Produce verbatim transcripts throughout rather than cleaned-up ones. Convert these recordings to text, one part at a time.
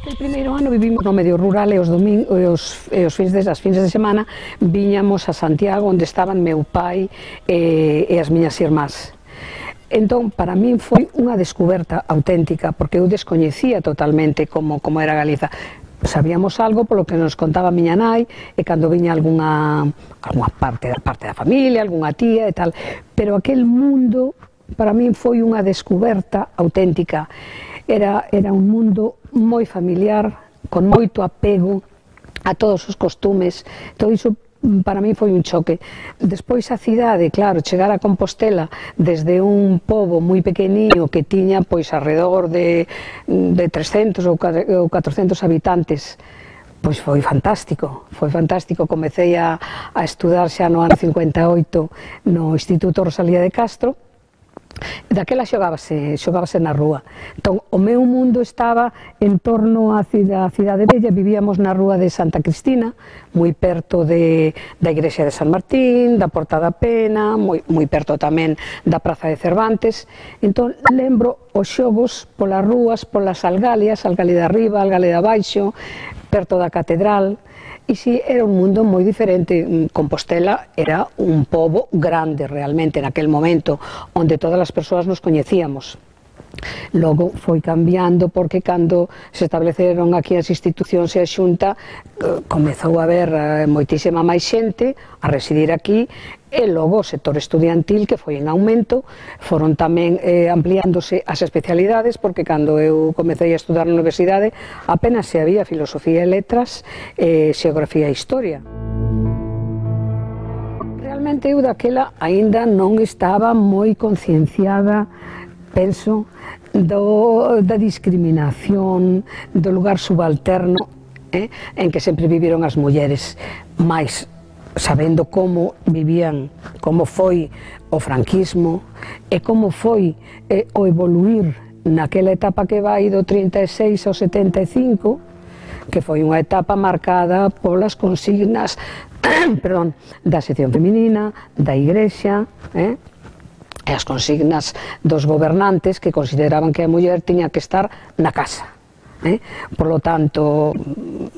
Aquel primeiro ano vivimos no medio rural e os, domingos, e os, e os fins de, as fins de semana viñamos a Santiago, onde estaban meu pai e, e as miñas irmás. Entón, para min foi unha descoberta auténtica, porque eu descoñecía totalmente como, como era Galiza. Sabíamos algo polo que nos contaba a miña nai e cando viña algunha, algunha parte, parte da familia, algunha tía e tal, pero aquel mundo para min foi unha descoberta auténtica. Era, era un mundo moi familiar, con moito apego a todos os costumes, todo iso para mí foi un choque. Despois a cidade, claro, chegar a Compostela desde un pobo moi pequeniño que tiña pois alrededor de, de trescentos ou catrocentos habitantes, pois foi fantástico, foi fantástico. Comecei a, a estudar xa no ano cincuenta e oito no Instituto Rosalía de Castro. Daquela xogábase, xogábase na rúa. Entón, o meu mundo estaba en torno á cidade bella. Vivíamos na rúa de Santa Cristina, moi perto de, da igrexa de San Martín, da Porta da Pena, moi, moi perto tamén da Praza de Cervantes. Entón, lembro os xogos polas rúas, polas algalias, algalia de arriba, algalia de abaixo, perto da catedral. E si, era un mundo moi diferente. Compostela era un pobo grande realmente naquel momento, onde todas as persoas nos coñecíamos. Logo foi cambiando porque cando se estableceron aquí as institucións e a Xunta, comezou a haber moitísima máis xente a residir aquí, e logo o sector estudiantil, que foi en aumento, foron tamén eh, ampliándose as especialidades, porque cando eu comecei a estudar na universidade apenas se había filosofía e letras, eh, xeografía e historia. Realmente eu daquela aínda non estaba moi concienciada, penso, do, da discriminación, do lugar subalterno eh, en que sempre viviron as mulleres, máis sabendo como vivían, como foi o franquismo e como foi eh, o evoluir naquela etapa que vai do trinta e seis ao setenta e cinco, que foi unha etapa marcada polas consignas perdón, da sección feminina, da igrexa, eh, e as consignas dos gobernantes que consideraban que a muller tiña que estar na casa. Eh? Por lo tanto,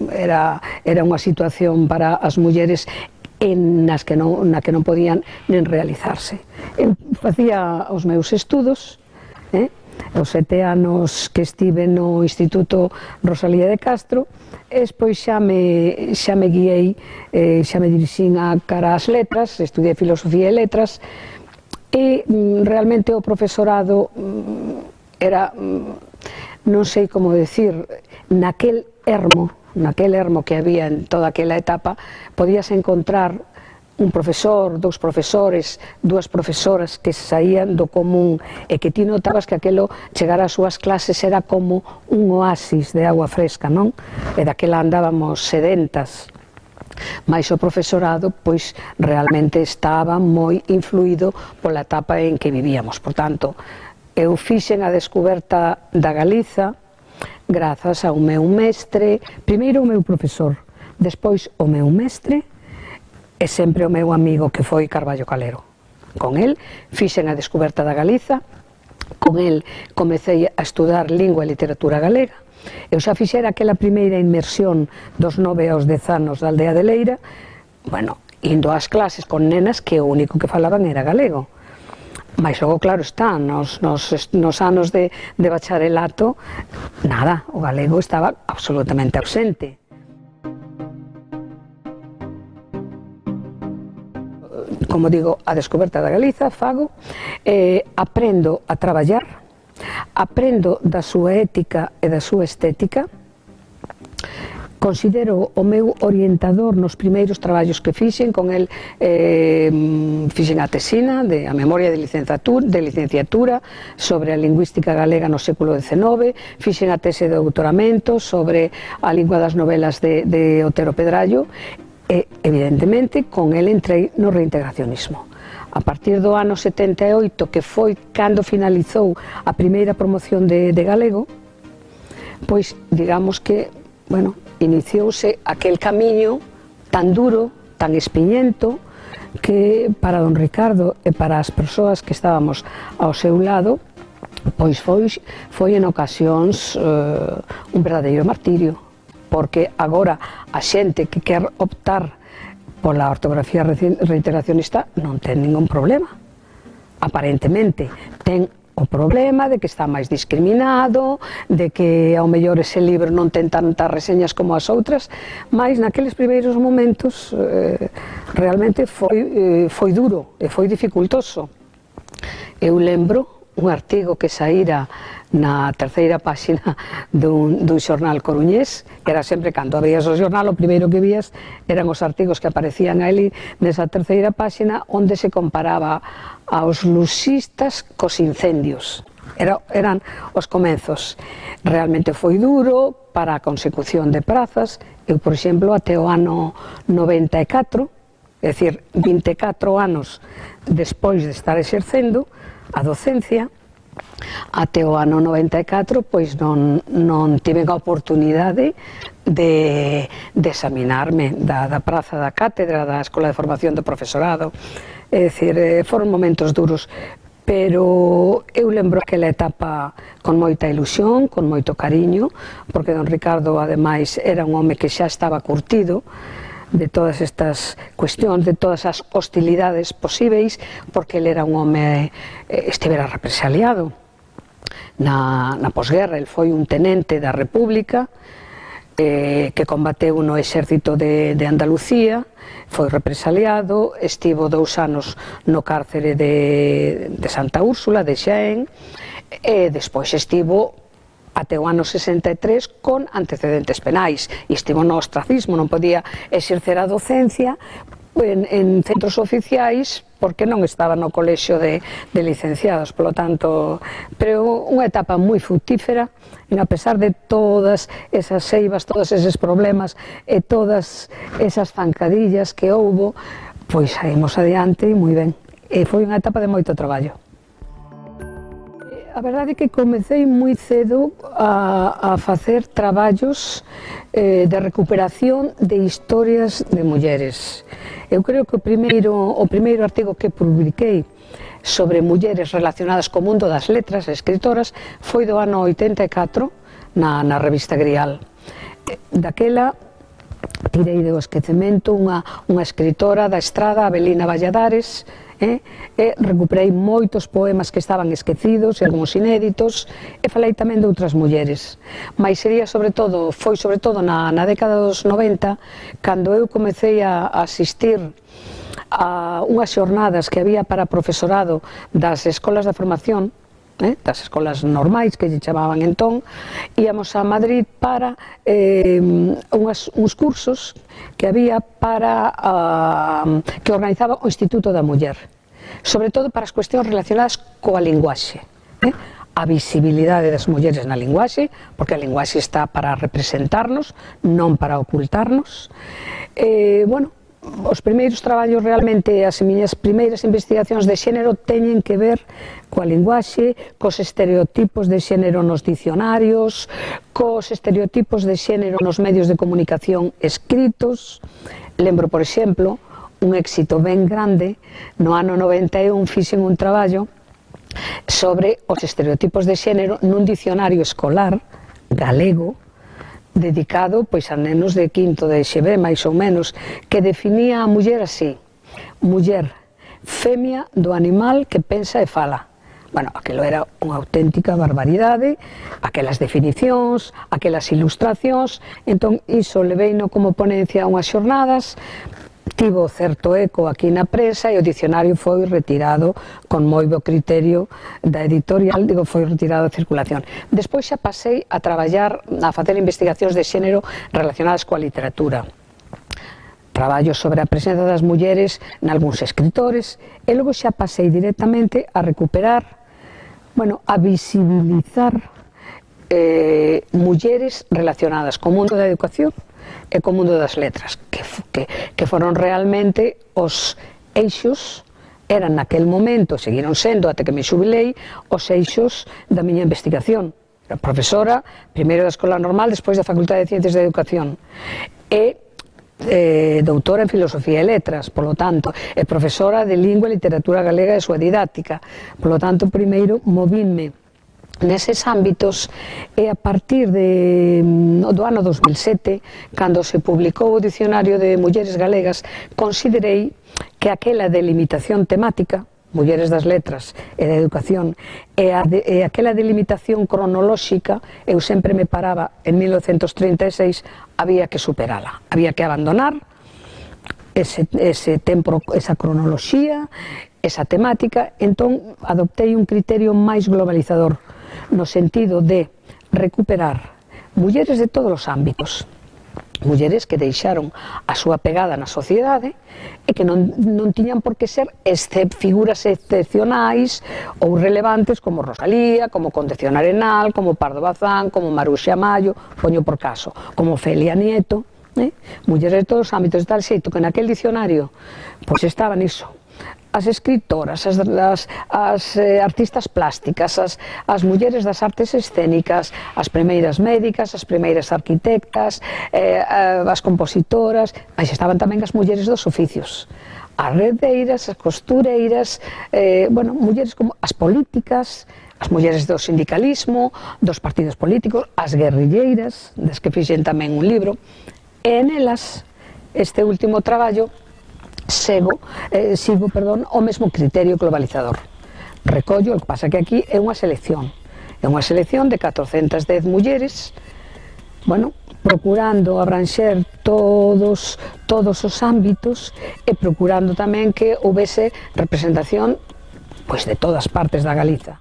era, era unha situación para as mulleres en nas que non, na que non podían nen realizarse. Eu facía os meus estudos, eh? os sete anos que estive no Instituto Rosalía de Castro, e despois xa me, xa me guiei, eh, xa me dirixín a cara ás letras, estudiei filosofía e letras, e mm, realmente o profesorado mm, era, mm, non sei como decir, naquel ermo, naquel ermo que había en toda aquela etapa, podías encontrar un profesor, dous profesores, dúas profesoras que saían do común e que ti notabas que aquelo chegar ás súas clases era como un oasis de agua fresca, non? E daquela andábamos sedentas. Mais o profesorado, pois, realmente estaba moi influído pola etapa en que vivíamos. Por tanto, eu fixen a descoberta da Galiza grazas ao meu mestre, primeiro o meu profesor, despois o meu mestre e sempre o meu amigo que foi Carballo Calero. Con el fixen a descoberta da Galiza, con el comecei a estudar lingua e literatura galega. Eu xa fixera aquela primeira inmersión dos nove aos dez anos da aldea de Leira, bueno, indo ás clases con nenas que o único que falaban era galego. Mais logo, claro está, nos, nos, nos anos de, de bacharelato, nada, o galego estaba absolutamente ausente. Como digo, a descoberta da Galiza, fago, eh, aprendo a traballar, aprendo da súa ética e da súa estética, considero o meu orientador nos primeiros traballos que fixen, con el eh, fixen a tesina de a memoria de licenciatura, de licenciatura sobre a lingüística galega no século dezenove, fixen a tese de doutoramento sobre a lingua das novelas de, de Otero Pedrallo e, evidentemente, con el entrei no reintegracionismo. A partir do ano setenta e oito, que foi cando finalizou a primeira promoción de, de galego, pois digamos que, bueno, iniciouse aquel camiño tan duro, tan espiñento, que para don Ricardo e para as persoas que estábamos ao seu lado, pois foi, foi en ocasións eh, un verdadeiro martirio, porque agora a xente que quer optar pola ortografía reintegracionista non ten ningún problema. Aparentemente ten o problema de que está máis discriminado, de que ao mellor ese libro non ten tantas reseñas como as outras, mas naqueles primeiros momentos eh, realmente foi, eh, foi duro e foi dificultoso. Eu lembro un artigo que saíra na terceira páxina dun, dun xornal coruñés, que era sempre cando abrías o xornal, o primeiro que vías eran os artigos que aparecían ali nesa terceira páxina, onde se comparaba aos luxistas cos incendios. Era, eran os comenzos. Realmente foi duro para a consecución de prazas. Eu, por exemplo, até o ano noventa e catro, é dicir, vinte e catro anos despois de estar exercendo a docencia, até o ano noventa e catro, pois non, non tiven a oportunidade de, de examinarme da, da praza da cátedra da Escola de Formación do Profesorado. É dicir, foron momentos duros, pero eu lembro aquela etapa con moita ilusión, con moito cariño, porque don Ricardo, ademais, era un home que xa estaba curtido de todas estas cuestións, de todas as hostilidades posíveis, porque ele era un home, eh, estivera represaliado na, na posguerra. El foi un tenente da República, eh, que combateu no exército de, de Andalucía, foi represaliado, estivo dous anos no cárcere de, de Santa Úrsula, de Xaén, e despois estivo até o ano sesenta e tres con antecedentes penais, e estivo no ostracismo, non podía exercer a docencia en, en centros oficiais porque non estaba no colexio de, de licenciados, polo tanto, pero unha etapa moi fructífera, en a pesar de todas esas seivas, todos eses problemas e todas esas zancadillas que houbo, pois saímos adiante moi ben, e foi unha etapa de moito traballo. A verdade é que comecei moi cedo a, a facer traballos eh, de recuperación de historias de mulleres. Eu creo que o primeiro, o primeiro artigo que publiquei sobre mulleres relacionadas co mundo das letras, escritoras, foi do ano oitenta e catro na, na revista Grial. Daquela tirei do esquecemento unha, unha escritora da Estrada, Abelina Valladares, Eh, e recuperei moitos poemas que estaban esquecidos e algúns inéditos, e falei tamén de outras mulleres, mas sería sobre todo, foi sobre todo na, na década dos noventa, cando eu comecei a, a asistir a unhas xornadas que había para profesorado das escolas de formación, Eh, das escolas normais que lle chamaban entón, íamos a Madrid para eh, unhas, uns cursos que había para uh, que organizaba o Instituto da Muller, sobre todo para as cuestións relacionadas coa linguaxe, eh? A visibilidade das mulleres na linguaxe, porque a linguaxe está para representarnos, non para ocultarnos. Eh, bueno, os primeiros traballos, realmente as miñas primeiras investigacións de xénero teñen que ver coa linguaxe, cos estereotipos de xénero nos dicionarios, cos estereotipos de xénero nos medios de comunicación escritos. Lembro, por exemplo, un éxito ben grande, no ano noventa e un fixen un traballo sobre os estereotipos de xénero nun dicionario escolar galego, dedicado pois a nenos de quinto de X B, máis ou menos, que definía a muller así: muller, femia do animal que pensa e fala. Bueno, aquilo era unha auténtica barbaridade, aquelas definicións, aquelas ilustracións. Entón, iso leveino como ponencia a unhas xornadas, tivo certo eco aquí na prensa e o dicionario foi retirado con moi bo criterio da editorial, digo, foi retirado de circulación. Despois xa pasei a traballar, a facer investigacións de xénero relacionadas coa literatura. Traballo sobre a presenza das mulleres nalgúns escritores e logo xa pasei directamente a recuperar, bueno, a visibilizar eh, mulleres relacionadas co mundo da educación e co mundo das letras, que, que, que foron realmente os eixos, eran naquel momento, seguiron sendo até que me xubilei, os eixos da miña investigación. Era profesora, primeiro da Escola Normal, despois da Facultade de Ciencias da Educación, e eh, doutora en Filosofía e Letras, polo tanto, e profesora de Lingua e Literatura Galega e súa didáctica. Polo tanto, primeiro movínme neses ámbitos e a partir de, do ano dos mil sete, cando se publicou o Dicionario de Mulleres Galegas, considerei que aquela delimitación temática, Mulleres das Letras e da Educación, e, a de, e aquela delimitación cronolóxica, eu sempre me paraba en mil novecentos trinta e seis, había que superala, había que abandonar ese, ese tempo, esa cronoloxía, esa temática. Entón adoptei un criterio máis globalizador, no sentido de recuperar mulleres de todos os ámbitos, mulleres que deixaron a súa pegada na sociedade e que non, non tiñan por que ser excep, figuras excepcionais ou relevantes como Rosalía, como Concepción Arenal, como Pardo Bazán, como Maruxa Mayo, poño por caso, como Felia Nieto, eh? Mulleres de todos os ámbitos, de tal xeito que naquel dicionario pois estaban iso, as escritoras, as, as, as eh, artistas plásticas, as, as mulleres das artes escénicas, as primeiras médicas, as primeiras arquitectas, eh, as compositoras, mas estaban tamén as mulleres dos oficios, as redeiras, as costureiras, eh, bueno, mulleres como as políticas, as mulleres do sindicalismo, dos partidos políticos, as guerrilleiras, das que fixen tamén un libro, e nelas, este último traballo, Sego, eh, sigo, perdón, o mesmo criterio globalizador. Recollo, o que pasa que aquí é unha selección, é unha selección de catrocentas dez mulleres, bueno, procurando abranxer todos, todos os ámbitos e procurando tamén que houvese representación pois de todas partes da Galiza.